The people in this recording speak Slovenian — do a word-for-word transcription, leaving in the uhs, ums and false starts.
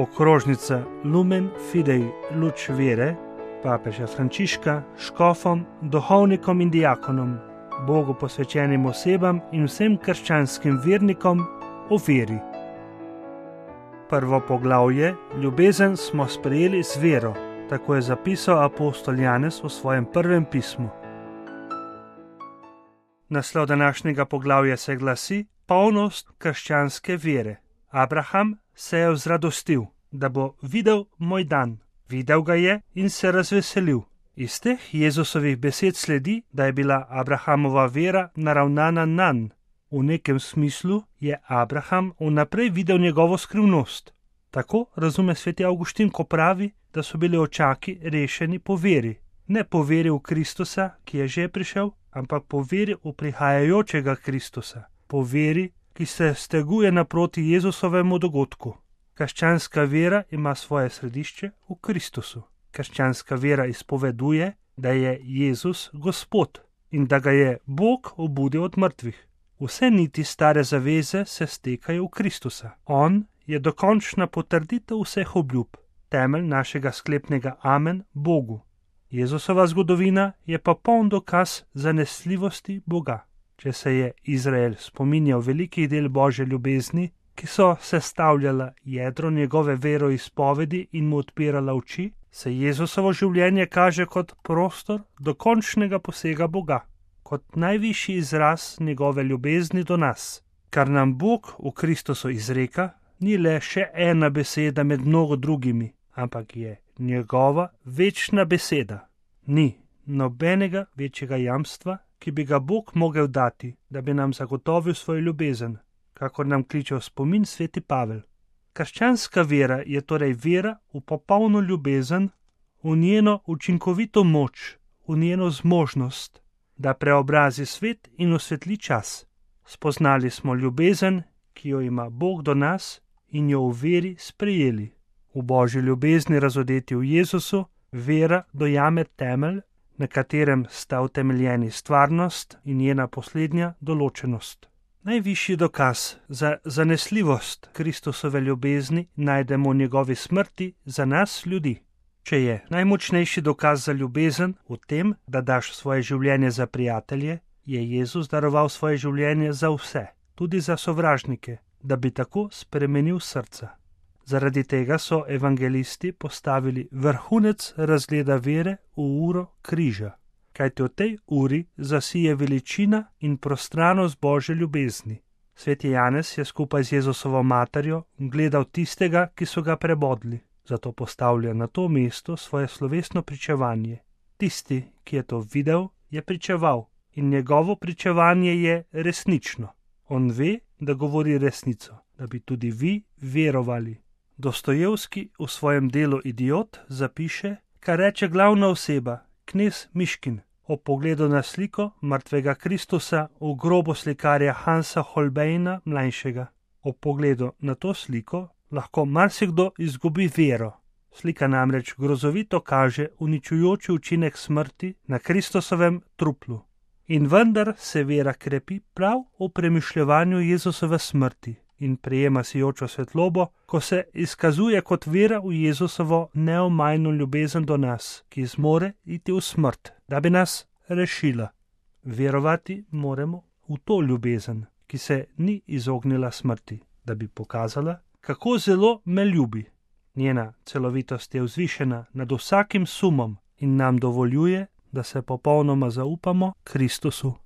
Okrožnica Lumen Fidei Luč vere papeža Frančiška škofom, duhovnikom in diakonom, Bogu posvečenim osebam in vsem krščanskim vernikom o veri. Prvo poglavje: Ljubezen smo sprejeli z vero, tako je zapisal apostol Janez v svojem prvem pismu. Naslov današnjega poglavja se glasi: Polnost krščanske vere. Abraham se je vzradostil, da bo videl moj dan. Videl ga je in se razveselil. Iz teh Jezusovih besed sledi, da je bila Abrahamova vera naravnana nanj. V nekem smislu je Abraham vnaprej videl njegovo skrivnost. Tako razume sveti Avguštin, ko pravi, da so bili očaki rešeni po veri. Ne po veri v Kristusa, ki je že prišel, ampak po veri v prihajajočega Kristusa. Po veri, ki se steguje naproti Jezusovemu dogodku. Krščanska vera ima svoje središče v Kristusu. Krščanska vera izpoveduje, da je Jezus Gospod in da ga je Bog obudil od mrtvih. Vse niti stare zaveze se stekajo v Kristusa. On je dokončna potrditev vseh obljub, temelj našega sklepnega amen Bogu. Jezusova zgodovina je pa poln dokaz zanesljivosti Boga. Če se je Izrael spominjal velikih del Božje ljubezni, ki so sestavljala jedro njegove veroizpovedi in mu odpirala oči, se Jezusovo življenje kaže kot prostor dokončnega posega Boga, kot najvišji izraz njegove ljubezni do nas. Kar nam Bog v Kristusu izreka, ni le še ena beseda med mnogo drugimi, ampak je njegova večna beseda. Ni nobenega večjega jamstva, ki bi ga Bog mogel dati, da bi nam zagotovil svojo ljubezen, kakor nam kliče v spomin sveti Pavel. Krščanska vera je torej vera v popolno ljubezen, v njeno učinkovito moč, v njeno zmožnost, da preobrazi svet in osvetli čas. Spoznali smo ljubezen, ki jo ima Bog do nas, in jo v veri sprejeli. V Božji ljubezni razodeti v Jezusu vera dojame temelj, na katerem sta utemeljeni stvarnost in njena poslednja določenost. Najvišji dokaz za zanesljivost Kristusove ljubezni najdemo v njegovi smrti za nas ljudi. Če je najmočnejši dokaz za ljubezen v tem, da daš svoje življenje za prijatelje, je Jezus daroval svoje življenje za vse, tudi za sovražnike, da bi tako spremenil srca. Zaradi tega so evangelisti postavili vrhunec razgleda vere v uro križa, kajti v tej uri zasije veličina in prostranost Božje ljubezni. Sveti Janez je skupaj z Jezusovo materjo gledal tistega, ki so ga prebodli, zato postavlja na to mesto svoje slovesno pričevanje. Tisti, ki je to videl, je pričeval in njegovo pričevanje je resnično. On ve, da govori resnico, da bi tudi vi verovali. Dostojevski v svojem delu Idiot zapiše, kar reče glavna oseba, knez Miškin, ob pogledu na sliko mrtvega Kristusa v grobu slikarja Hansa Holbeina mlajšega. Ob pogledu na to sliko lahko marsikdo izgubi vero. Slika namreč grozovito kaže uničujoči učinek smrti na Kristusovem truplu. In vendar se vera krepi prav v premišljevanju Jezusove smrti in prejema sijočo svetlobo, ko se izkazuje kot vera v Jezusovo neomajno ljubezen do nas, ki zmore iti v smrt, da bi nas rešila. Verovati moramo v to ljubezen, ki se ni izognila smrti, da bi pokazala, kako zelo me ljubi. Njena celovitost je vzvišena nad vsakim sumom in nam dovoljuje, da se popolnoma zaupamo Kristusu.